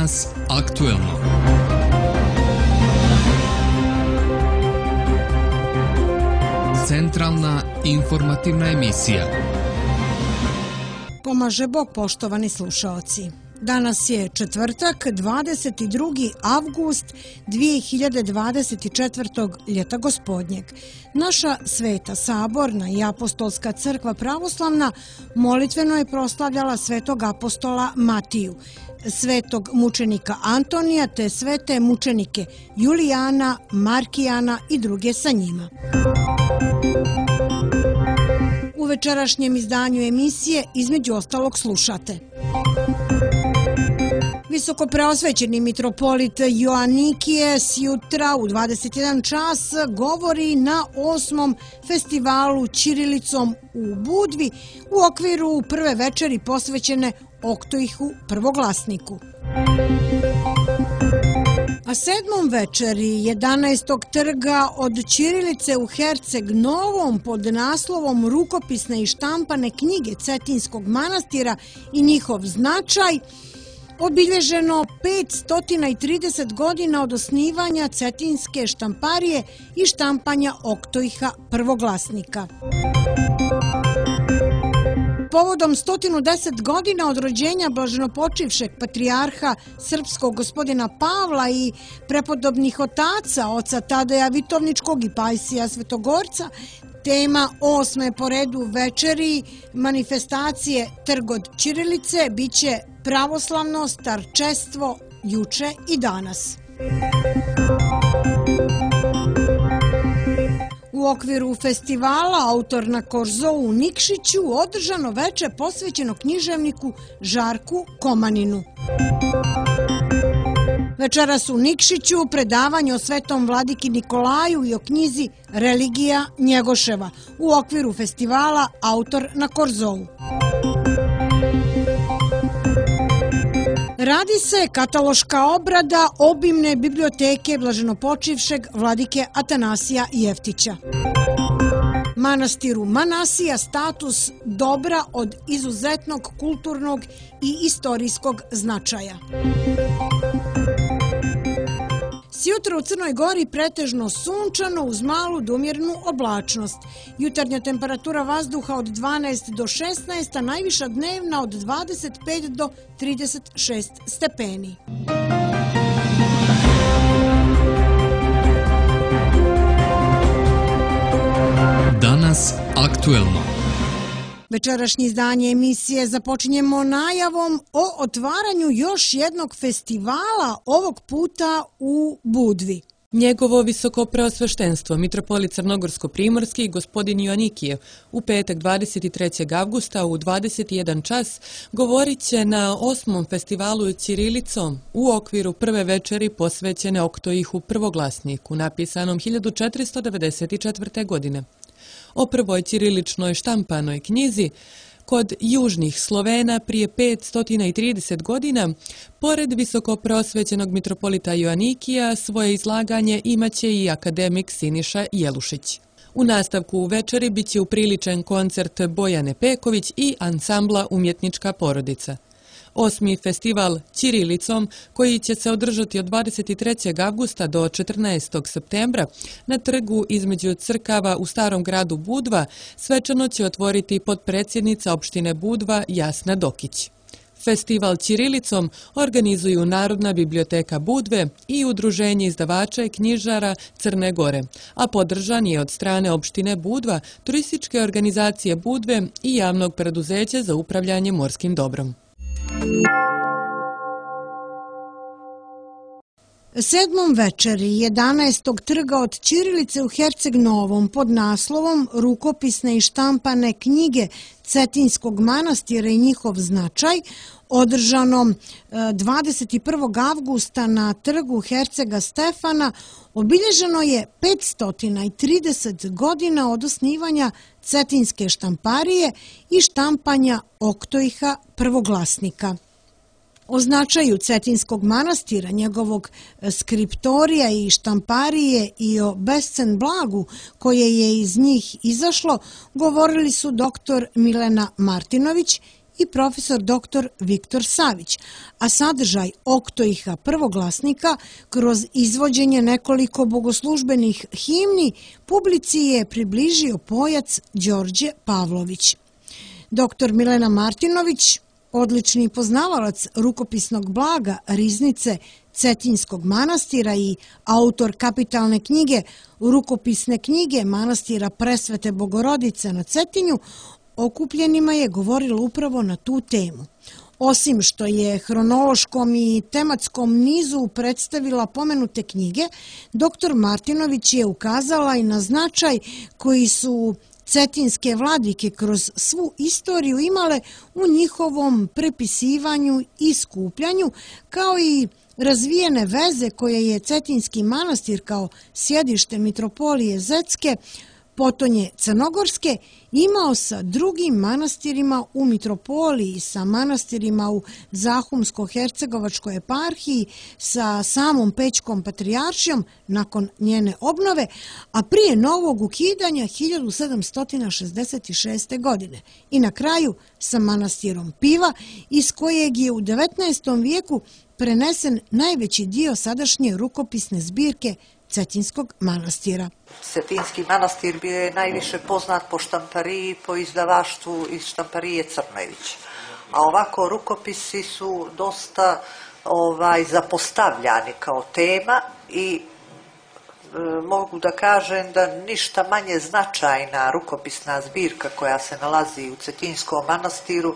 Danas aktuelno. Centralna informativna emisija. Pomaže Bog, poštovani slušaoci. Danas je četvrtak, 22. avgust 2024. ljeta gospodnjeg. Naša Sveta Saborna i Apostolska crkva pravoslavna molitveno je proslavljala svetog apostola Matiju, svetog mučenika Antonija te svete mučenike Julijana, Markijana i druge sa njima. U večerašnjem izdanju emisije između ostalog slušate. Visokopreosvećeni mitropolit Joanikije sjutra u 21 čas govori na 8. festivalu ćirilicom u Budvi u okviru prve večeri posvećene Oktoihu prvoglasniku. A 7. večeri 11. trga od ćirilice u Herceg Novom pod naslovom Rukopisne i štampane knjige Cetinskog manastira i njihov značaj obilježeno 530 godina od osnivanja Cetinske štamparije i štampanja Oktoiha prvoglasnika. Povodom 110 godina od rođenja blaženopočivšeg patrijarha srpskog gospodina Pavla i prepodobnih otaca, oca Tadeja Vitovničkog i Pajsija Svetogorca, tema 8. po redu večeri manifestacije Trg od ćirilice biće pravoslavno starčestvo juče i danas. U okviru festivala Autor na Korzou u Nikšiću održano veče posvećeno književniku Žarku Komaninu. Večeras u Nikšiću predavanje o svetom vladiki Nikolaju i o knjizi Religija Njegoševa u okviru festivala Autor na Korzou. Radi se kataloška obrada obimne biblioteke blaženopočivšeg vladike Atanasija Jeftića. Manastiru Manasija status dobra od izuzetnog kulturnog i istorijskog značaja. Sjutra u Crnoj Gori pretežno sunčano uz malu do umjerenu oblačnost. Jutarnja temperatura vazduha od 12 do 16, a najviša dnevna od 25 do 36 stepeni. Danas aktuelno. Večerašnje izdanje emisije započinjemo najavom o otvaranju još jednog festivala, ovog puta u Budvi. Njegovo visokopreosveštenstvo, mitropolit Crnogorsko-primorski, gospodin Joanikijev, u petak 23. avgusta u 21 čas govorit će na 8. festivalu ćirilicom u okviru prve večeri posvećene Oktoihu prvoglasniku, napisanom 1494. godine. O prvoj ćiriličnoj štampanoj knjizi kod južnih Slovena prije 530 godina, pored visokopreosvećenog mitropolita Joanikija, svoje izlaganje imaće i akademik Siniša Jelušić. U nastavku u večeri biće upriličen koncert Bojane Peković i ansambla Umjetnička porodica. 8. festival ćirilicom, koji će se održati od 23. avgusta do 14. septembra na trgu između crkava u starom gradu Budva, svečano će otvoriti potpredsjednica opštine Budva Jasna Dokić. Festival ćirilicom organizuju Narodna biblioteka Budve i Udruženje izdavača i knjižara Crne Gore, a podržan je od strane opštine Budva, turističke organizacije Budve i javnog preduzeća za upravljanje morskim dobrom. 7. večeri 11. trga od ćirilice u Herceg Novom pod naslovom Rukopisne i štampane knjige Cetinskog manastira i njihov značaj, održano 21. avgusta na trgu Hercega Stefana, obilježeno je 530 godina od osnivanja Cetinske štamparije i štampanja Oktoiha prvoglasnika. O značaju Cetinskog manastira, njegovog skriptorija i štamparije i o bescen blagu koje je iz njih izašlo, govorili su dr. Milena Martinović i profesor dr. Viktor Savić, a sadržaj Oktoiha prvoglasnika kroz izvođenje nekoliko bogoslužbenih himni publici je približio pojac Đorđe Pavlović. Dr. Milena Martinović, odlični poznavalac rukopisnog blaga Riznice Cetinjskog manastira i autor kapitalne knjige Rukopisne knjige manastira Presvete Bogorodice na Cetinju, okupljenima je govorila upravo na tu temu. Osim što je hronološkom i tematskom nizu predstavila pomenute knjige, dr. Martinović je ukazala i na značaj koji su cetinske vladike kroz svu istoriju imale u njihovom prepisivanju i skupljanju, kao i razvijene veze koje je Cetinjski manastir kao sjedište mitropolije Zetske, potonje Crnogorske, imao sa drugim manastirima u mitropoliji, sa manastirima u Zahumsko-hercegovačkoj eparhiji, sa samom Pećkom patrijaršijom nakon njene obnove, a prije novog ukidanja 1766. godine. I na kraju sa manastirom Piva, iz kojeg je u 19. vijeku prenesen najveći dio sadašnje rukopisne zbirke Cetinjskog manastira. Cetinjski manastir bio je najviše poznat po štampariji, po izdavaštvu iz štamparije Crnojević. A ovako rukopisi su dosta zapostavljani kao tema i mogu da kažem da ništa manje značajna rukopisna zbirka koja se nalazi u Cetinjskom manastiru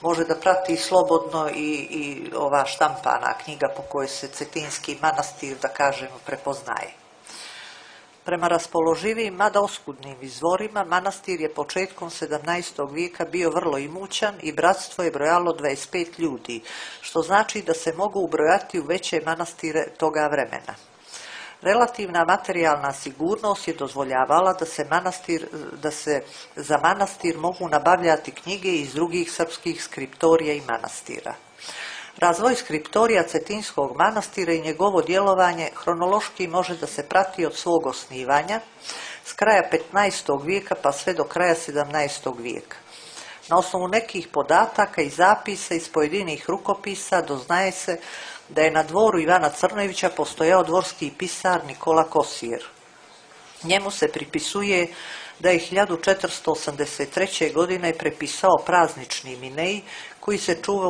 može da prati slobodno i ova štampana knjiga po kojoj se Cetinjski manastir, da kažemo, prepoznaje. Prema raspoloživim, mada oskudnim izvorima, manastir je početkom 17. vijeka bio vrlo imućan i bratstvo je brojalo 25 ljudi, što znači da se mogu ubrojati u veće manastire toga vremena. Relativna materijalna sigurnost je dozvoljavala da se za manastir mogu nabavljati knjige iz drugih srpskih skriptorija i manastira. Razvoj skriptorija Cetinjskog manastira i njegovo djelovanje hronološki može da se prati od svog osnivanja s kraja 15. vijeka pa sve do kraja 17. vijeka. Na osnovu nekih podataka i zapisa iz pojedinih rukopisa doznaje se da je na dvoru Ivana Crnojevića postojao dvorski pisar Nikola Kosir. Njemu se pripisuje da je 1483. godine prepisao praznični Minej koji se čuva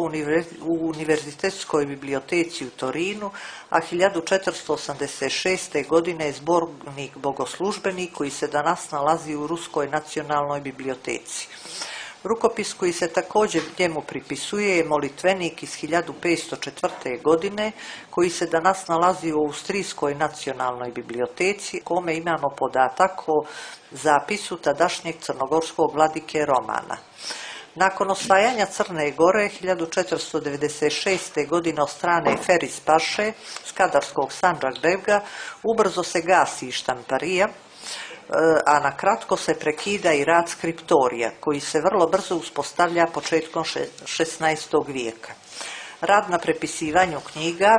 u Univerzitetskoj biblioteci u Torinu, a 1486. godine je zbornik bogoslužbeni koji se danas nalazi u Ruskoj nacionalnoj biblioteci. Rukopis koji se također njemu pripisuje je molitvenik iz 1504. godine koji se danas nalazi u Austrijskoj nacionalnoj biblioteci, kome imamo podatak o zapisu tadašnjeg crnogorskog vladike Romana. Nakon osvajanja Crne Gore 1496. godine od strane Feris Paše, Skadarskog Sandžakbega, ubrzo se gasi štamparija, a na kratko se prekida i rad skriptorija, koji se vrlo brzo uspostavlja početkom 16. vijeka. Rad na prepisivanju knjiga,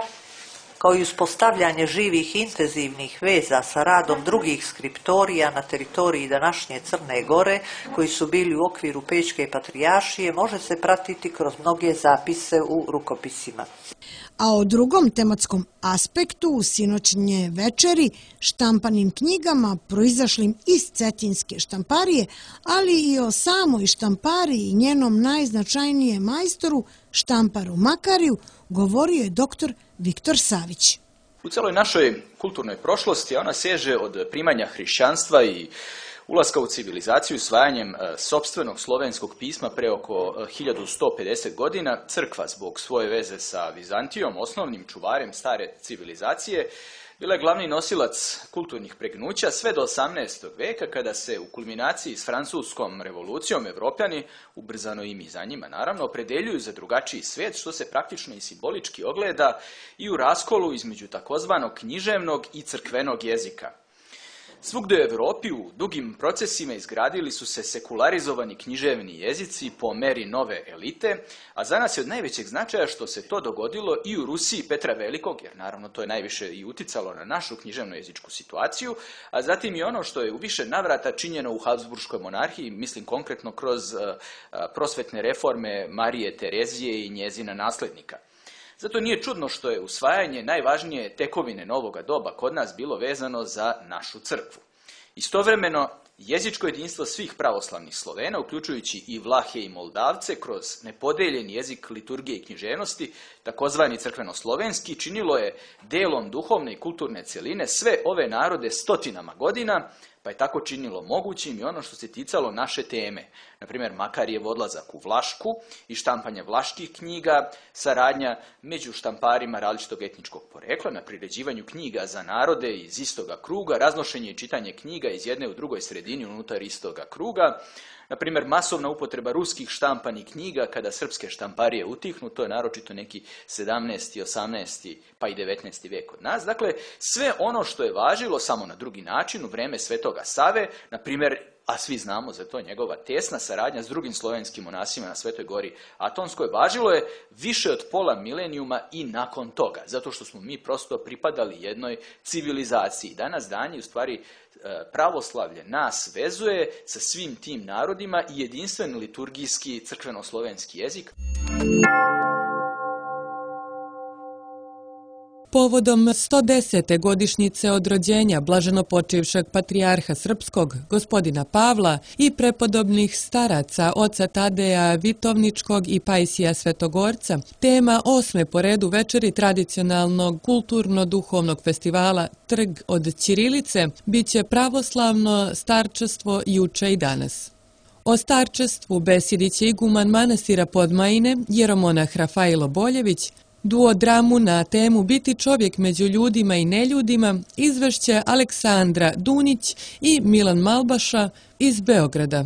kao i uspostavljanje živih intenzivnih veza sa radom drugih skriptorija na teritoriji današnje Crne Gore, koji su bili u okviru Pećke patrijaršije, može se pratiti kroz mnoge zapise u rukopisima. A o drugom tematskom aspektu u sinoćnje večeri, štampanim knjigama proizašlim iz Cetinjske štamparije, ali i o samoj štampariji i njenom najznačajnijem majstoru, štamparu Makariju, govorio je dr. Viktor Savić. U celoj našoj kulturnoj prošlosti ona seže od primanja hrišćanstva i ulaska u civilizaciju usvajanjem sopstvenog slovenskog pisma pre oko 1150 godina. Crkva, zbog svoje veze sa Vizantijom, osnovnim čuvarem stare civilizacije, bila je glavni nosilac kulturnih pregnuća sve do 18. veka, kada se u kulminaciji s francuskom revolucijom Evropljani, ubrzano i mi za njima naravno, opredeljuju za drugačiji svijet, što se praktično i simbolički ogleda i u raskolu između takozvanog književnog i crkvenog jezika. Svugdje u Europi u dugim procesima izgradili su se sekularizovani književni jezici po meri nove elite, a za nas je od najvećeg značaja što se to dogodilo i u Rusiji Petra Velikog, jer naravno to je najviše i uticalo na našu književno-jezičku situaciju, a zatim i ono što je u više navrata činjeno u Habsburškoj monarhiji, mislim konkretno kroz prosvetne reforme Marije Terezije i njezina nasljednika. Zato nije čudno što je usvajanje najvažnije tekovine novoga doba kod nas bilo vezano za našu crkvu. Istovremeno, jezičko jedinstvo svih pravoslavnih Slovena, uključujući i Vlahe i Moldavce, kroz nepodeljeni jezik liturgije i književnosti, takozvani crkveno-slovenski, činilo je delom duhovne i kulturne cjeline sve ove narode stotinama godina, pa je tako činilo mogućim i ono što se ticalo naše teme. Naprimjer, Makarijev odlazak u Vlašku i štampanje vlaških knjiga, saradnja među štamparima različitog etničkog porekla na priređivanju knjiga za narode iz istoga kruga, raznošenje i čitanje knjiga iz jedne u drugoj sredini unutar istoga kruga, naprimjer, masovna upotreba ruskih štampanih knjiga kada srpske štamparije utihnu, to je naročito neki 17., 18. pa i 19. vijek kod nas. Dakle, sve ono što je važilo samo na drugi način u vrijeme Svetoga Save, naprimjer, a svi znamo za to njegova tesna saradnja s drugim slovenskim monasima na Svetoj gori Atonskoj, važilo je više od pola milenijuma i nakon toga, zato što smo mi prosto pripadali jednoj civilizaciji. Danas dan u stvari pravoslavlje nas vezuje sa svim tim narodima i jedinstven liturgijski crkveno-slovenski jezik. Povodom 110. godišnjice od rođenja blaženopočivšeg patrijarha srpskog, gospodina Pavla, i prepodobnih staraca oca Tadeja Vitovničkog i Pajsija Svetogorca, tema 8. po redu večeri tradicionalnog kulturno-duhovnog festivala Trg od ćirilice biće pravoslavno starčestvo juče i danas. O starčestvu besedit će iguman manastira Podmajine, jeromonah Rafailo Boljević. Duodramu na temu Biti čovjek među ljudima i neljudima izvešće Aleksandra Dunić i Milan Malbaša iz Beograda.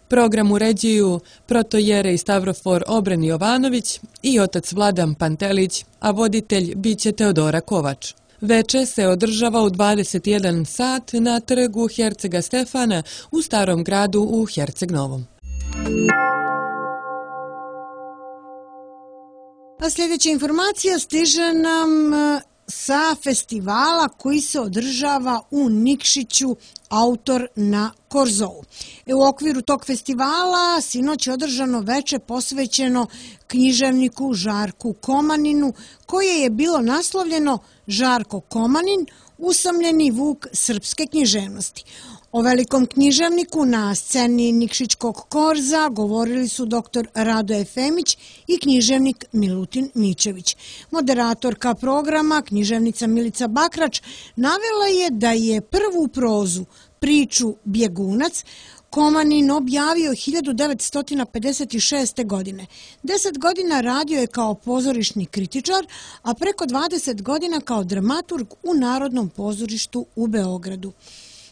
Program uređuju protojerej Stavrofor Obren Jovanović i otac Vladan Pantelić, a voditelj biće Teodora Kovač. Veče se održava u 21 sat na trgu Hercega Stefana u Starom gradu u Herceg Novom. A sljedeća informacija stiže nam sa festivala koji se održava u Nikšiću, Autor na Korzou. U okviru tog festivala sinoć je održano veče posvećeno književniku Žarku Komaninu, koje je bilo naslovljeno Žarko Komanin, usamljeni vuk srpske književnosti. O velikom književniku na sceni Nikšićkog Korza govorili su dr. Rado Efemić i književnik Milutin Mićević. Moderatorka programa, književnica Milica Bakrač, navela je da je prvu prozu, priču Bjegunac, Komanin objavio 1956. godine. 10 godina radio je kao pozorišni kritičar, a preko 20 godina kao dramaturg u Narodnom pozorištu u Beogradu.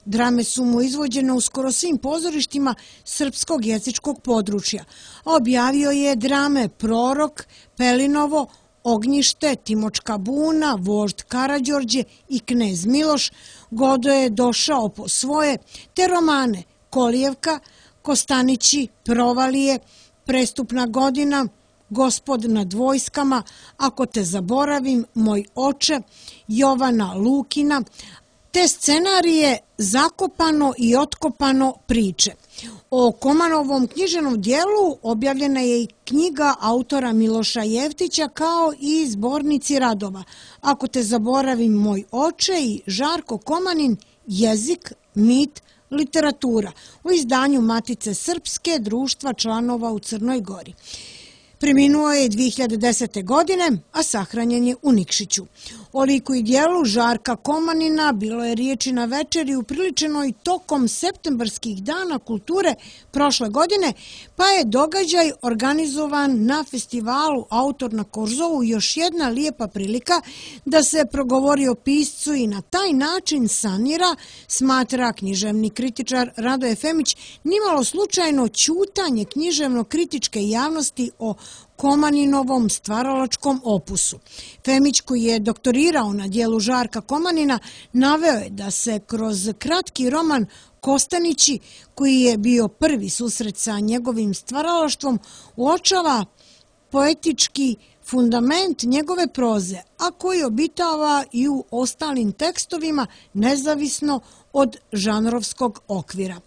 Drame su mu izvođene u skoro svim pozorištima srpskog jezičkog područja. Objavio je drame Prorok, Pelinovo, Ognjište, Timočka buna, Vožd Karađorđe i Knez Miloš, Godo je došao po svoje, te romane Kolijevka, Kostanići, Provalije, Prestupna godina, Gospod nad vojskama, Ako te zaboravim, Moj oče, Jovana Lukina, te scenarije Zakopano i otkopano priče. O Komanovom književnom dijelu objavljena je i knjiga autora Miloša Jevtića kao i zbornici radova Ako te zaboravim, Moj oče i Žarko Komanin, jezik, mit, literatura u izdanju Matice Srpske, društva članova u Crnoj Gori. Preminuo je 2010. godine, a sahranjen je u Nikšiću. O liku i dijelu Žarka Komanina bilo je riječi na večeri upriličenoj tokom septembarskih dana kulture prošle godine, pa je događaj organizovan na festivalu Autor na Korzovu još jedna lijepa prilika da se progovori o piscu i na taj način sanira, smatra književni kritičar Rado Efemić, nimalo slučajno ćutanje književno-kritičke javnosti o Komaninovom stvaralačkom opusu. Femić, koji je doktorirao na dijelu Žarka Komanina, naveo je da se kroz kratki roman Kostanići, koji je bio prvi susret sa njegovim stvaralaštvom, uočava poetički fundament njegove proze, a koji obitava i u ostalim tekstovima nezavisno od žanrovskog okvira.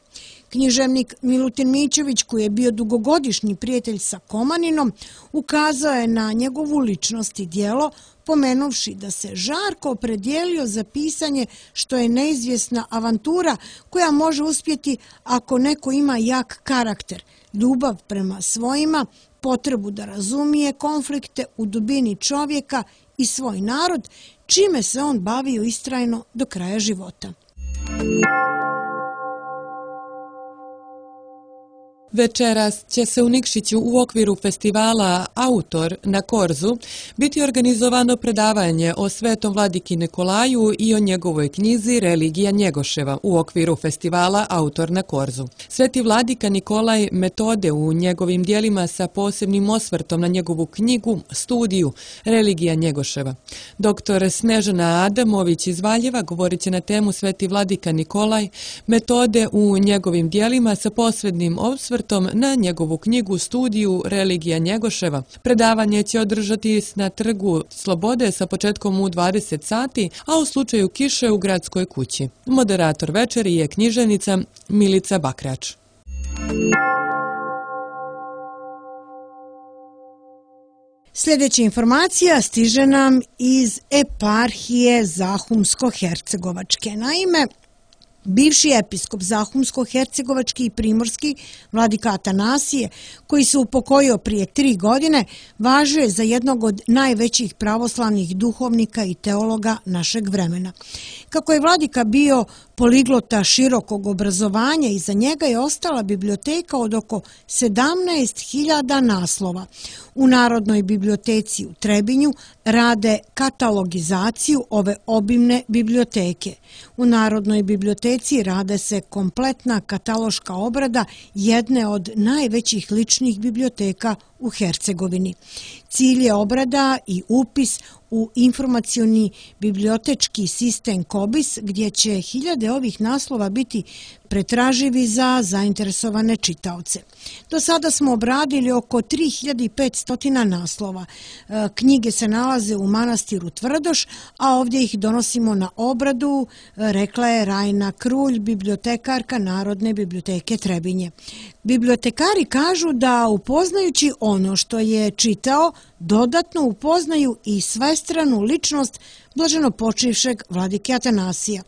Književnik Milutin Mićović, koji je bio dugogodišnji prijatelj sa Komaninom, ukazao je na njegovu ličnost i djelo, pomenuvši da se Žarko opredijelio za pisanje što je neizvjesna avantura koja može uspjeti ako neko ima jak karakter, ljubav prema svojima, potrebu da razumije konflikte u dubini čovjeka i svoj narod, čime se on bavio istrajno do kraja života. Večeras će se u Nikšiću u okviru festivala Autor na Korzu biti organizovano predavanje o Svetom vladiki Nikolaju i o njegovoj knjizi Religija Njegoševa u okviru festivala Autor na Korzu. Sveti vladika Nikolaj metode u njegovim dijelima sa posebnim osvrtom na njegovu knjigu, studiju Religija Njegoševa. Dr. Snežana Adamović iz Valjeva govorit će na temu Sveti vladika Nikolaj, metode u njegovim dijelima sa posebnim osvrtom na njegovu knjigu, studiju Religija Njegoševa. Predavanje će održati na Trgu Slobode sa početkom u 20 sati, a u slučaju kiše u Gradskoj kući. Moderator večeri je književnica Milica Bakrač. Sljedeća informacija stiže nam iz eparhije Zahumsko-Hercegovačke. Naime, bivši episkop Zahumsko-Hercegovački i Primorski, vladika Atanasije, koji se upokojio prije 3 godine, važio je za jednog od najvećih pravoslavnih duhovnika i teologa našeg vremena. Kako je vladika bio poliglota širokog obrazovanja, iza njega je ostala biblioteka od oko 17.000 naslova. U Narodnoj biblioteci u Trebinju rade katalogizaciju ove obimne biblioteke. U Narodnoj biblioteci rade se kompletna kataloška obrada jedne od najvećih ličnih biblioteka u Hercegovini. Cilj je obrada i upis u informacioni bibliotečki sistem KOBIS, gdje će hiljade ovih naslova biti pretraživi za zainteresovane čitaoce. Do sada smo obradili oko 3500 naslova. Knjige se nalaze u manastiru Tvrdoš, a ovdje ih donosimo na obradu, rekla je Rajna Krulj, bibliotekarka Narodne biblioteke Trebinje. Bibliotekari kažu da upoznajući ono što je čitao, dodatno upoznaju i svestranu ličnost blaženopočivšeg vladike Atanasija.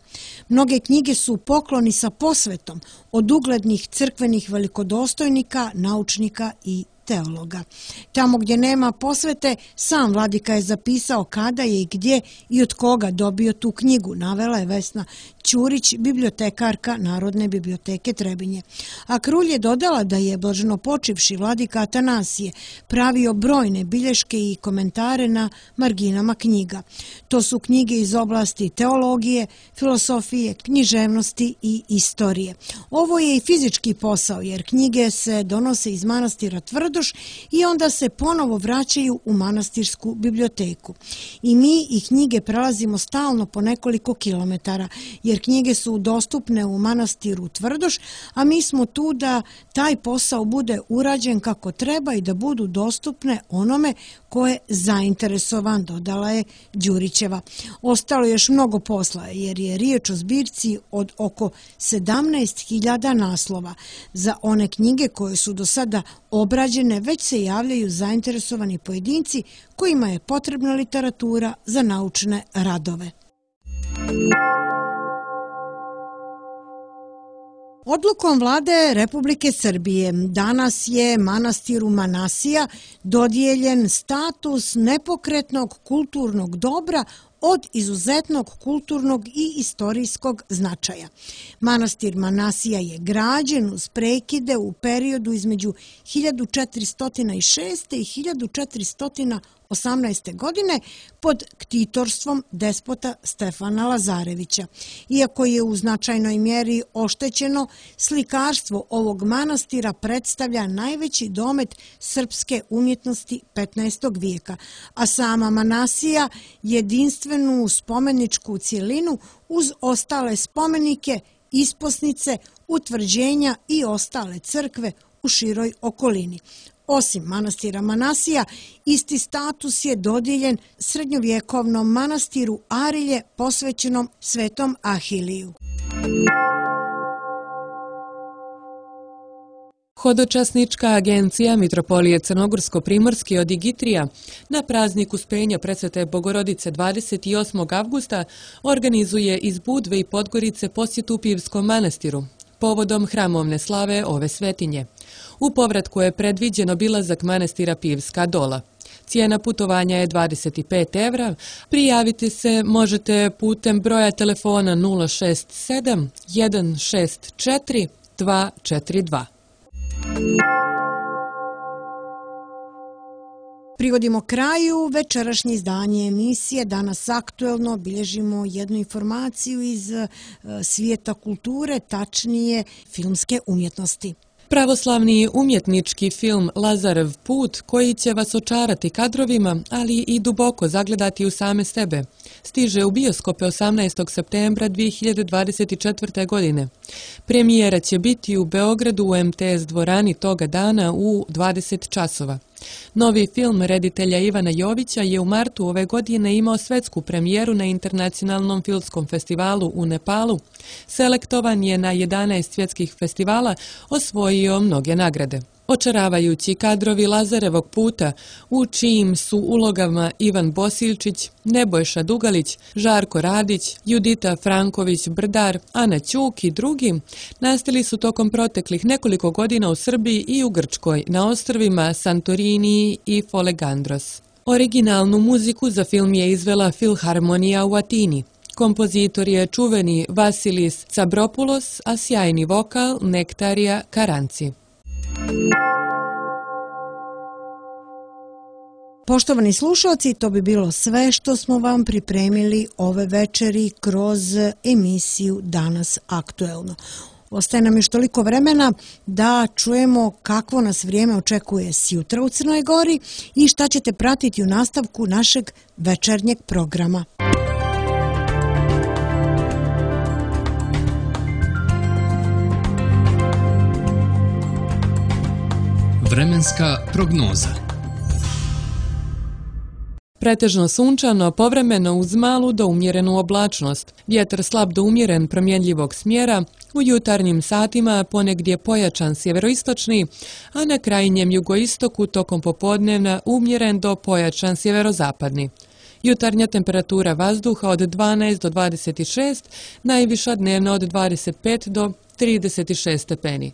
Mnoge knjige su pokloni sa posvetom od uglednih crkvenih velikodostojnika, naučnika i teologa. Tamo gdje nema posvete, sam vladika je zapisao kada je i gdje i od koga dobio tu knjigu, navela je Vesna Ćurić, bibliotekarka Narodne biblioteke Trebinje. A Krulj je dodala da je blaženopočivši vladika Atanasije pravio brojne bilješke i komentare na marginama knjiga. To su knjige iz oblasti teologije, filosofije, književnosti i istorije. Ovo je i fizički posao, jer knjige se donose iz manastira Tvrdoš i onda se ponovo vraćaju u manastirsku biblioteku. I mi i knjige prelazimo stalno po nekoliko kilometara, jer knjige su dostupne u manastiru Tvrdoš, a mi smo tu da taj posao bude urađen kako treba i da budu dostupne onome ko je zainteresovan, dodala je Đurićeva. Ostalo je još mnogo posla, jer je riječ o zbirci od oko 17.000 naslova. Za one knjige koje su do sada obrađene već se javljaju zainteresovani pojedinci kojima je potrebna literatura za naučne radove. Odlukom vlade Republike Srbije danas je manastiru Manasija dodijeljen status nepokretnog kulturnog dobra od izuzetnog kulturnog i istorijskog značaja. Manastir Manasija je građen uz prekide u periodu između 1406. i 1418. godine pod ktitorstvom despota Stefana Lazarevića. Iako je u značajnoj mjeri oštećeno, slikarstvo ovog manastira predstavlja najveći domet srpske umjetnosti 15. vijeka, a sama Manasija jedinstvenu spomeničku cjelinu uz ostale spomenike, isposnice, utvrđenja i ostale crkve u široj okolini. Osim manastira Manasija, isti status je dodijeljen srednjovjekovnom manastiru Arilje posvećenom Svetom Ahiliju. Hodočasnička agencija Mitropolije Crnogorsko-Primorske od Igitrija na praznik Uspenja Presvete Bogorodice 28. avgusta organizuje iz Budve i Podgorice posjetu Pivskom manastiru povodom hramovne slave ove svetinje. U povratku je predviđen obilazak manastira Pivska Dola. Cijena putovanja je 25 evra. Prijaviti se možete putem broja telefona 067 164 242. Privodimo kraju večerašnje izdanje emisije Danas aktuelno. Bilježimo jednu informaciju iz svijeta kulture, tačnije filmske umjetnosti. Pravoslavni umjetnički film Lazarev put, koji će vas očarati kadrovima, ali i duboko zagledati u same sebe, stiže u bioskope 18. septembra 2024. godine. Premijera će biti u Beogradu u MTS dvorani toga dana u 20 časova. Novi film reditelja Ivana Jovića je u martu ove godine imao svetsku premijeru na Internacionalnom filmskom festivalu u Nepalu. Selektovan je na 11 svjetskih festivala, osvojio mnoge nagrade. Očaravajući kadrovi Lazarevog puta, u čijim su ulogama Ivan Bosiljčić, Nebojša Dugalić, Žarko Radić, Judita Franković-Brdar, Ana Ćuk i drugi, nastali su tokom proteklih nekoliko godina u Srbiji i u Grčkoj, na ostrvima Santorini i Folegandros. Originalnu muziku za film je izvela Filharmonija u Atini. Kompozitor je čuveni Vasilis Tsabropoulos, a sjajni vokal Nektarija Karanci. Poštovani slušalci, to bi bilo sve što smo vam pripremili ove večeri kroz emisiju Danas aktuelno. Ostaje nam još toliko vremena da čujemo kakvo nas vrijeme očekuje sjutra u Crnoj Gori i šta ćete pratiti u nastavku našeg večernjeg programa. Vremenska prognoza. Pretežno sunčano, povremeno uz malu do umjerenu oblačnost. Vjetar slab do umjeren promjenljivog smjera, u jutarnjim satima ponegdje pojačan sjeveroistočni, a na krajnjem jugoistoku tokom popodnevna umjeren do pojačan sjeverozapadni. Jutarnja temperatura vazduha od 12 do 26, najviša dnevna od 25 do 36 stepeni.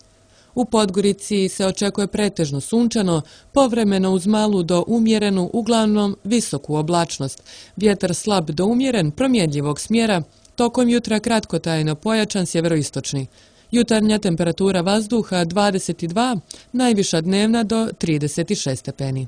U Podgorici se očekuje pretežno sunčano, povremeno uz malu do umjerenu, uglavnom visoku oblačnost. Vjetar slab do umjeren, promjenljivog smjera, tokom jutra kratkotrajno pojačan sjeveroistočni. Jutarnja temperatura vazduha 22, najviša dnevna do 36 stepeni.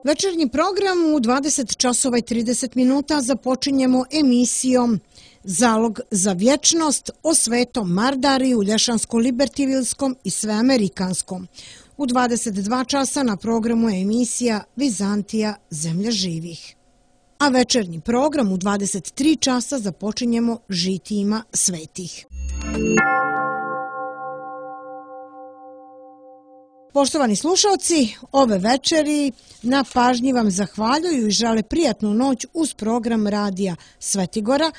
Večernji program u 20 časova i 30 minuta započinjemo emisijom Zalog za vječnost o Svetom Mardariju, Lješansko-Libertivilskom i Sveamerikanskom. U 22 časa na programu je emisija Vizantija, zemlja živih. A večernji program u 23 časa započinjemo žitijima svetih. Poštovani slušalci, ove večeri na pažnji vam zahvaljuju i žele prijatnu noć uz program radija Svetigora,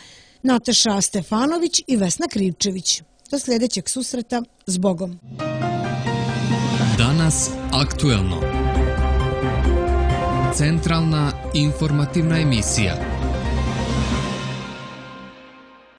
Nataša Stefanović i Vesna Krivčević. Do sljedećeg susreta, s Bogom. Danas aktuelno. Centralna informativna emisija.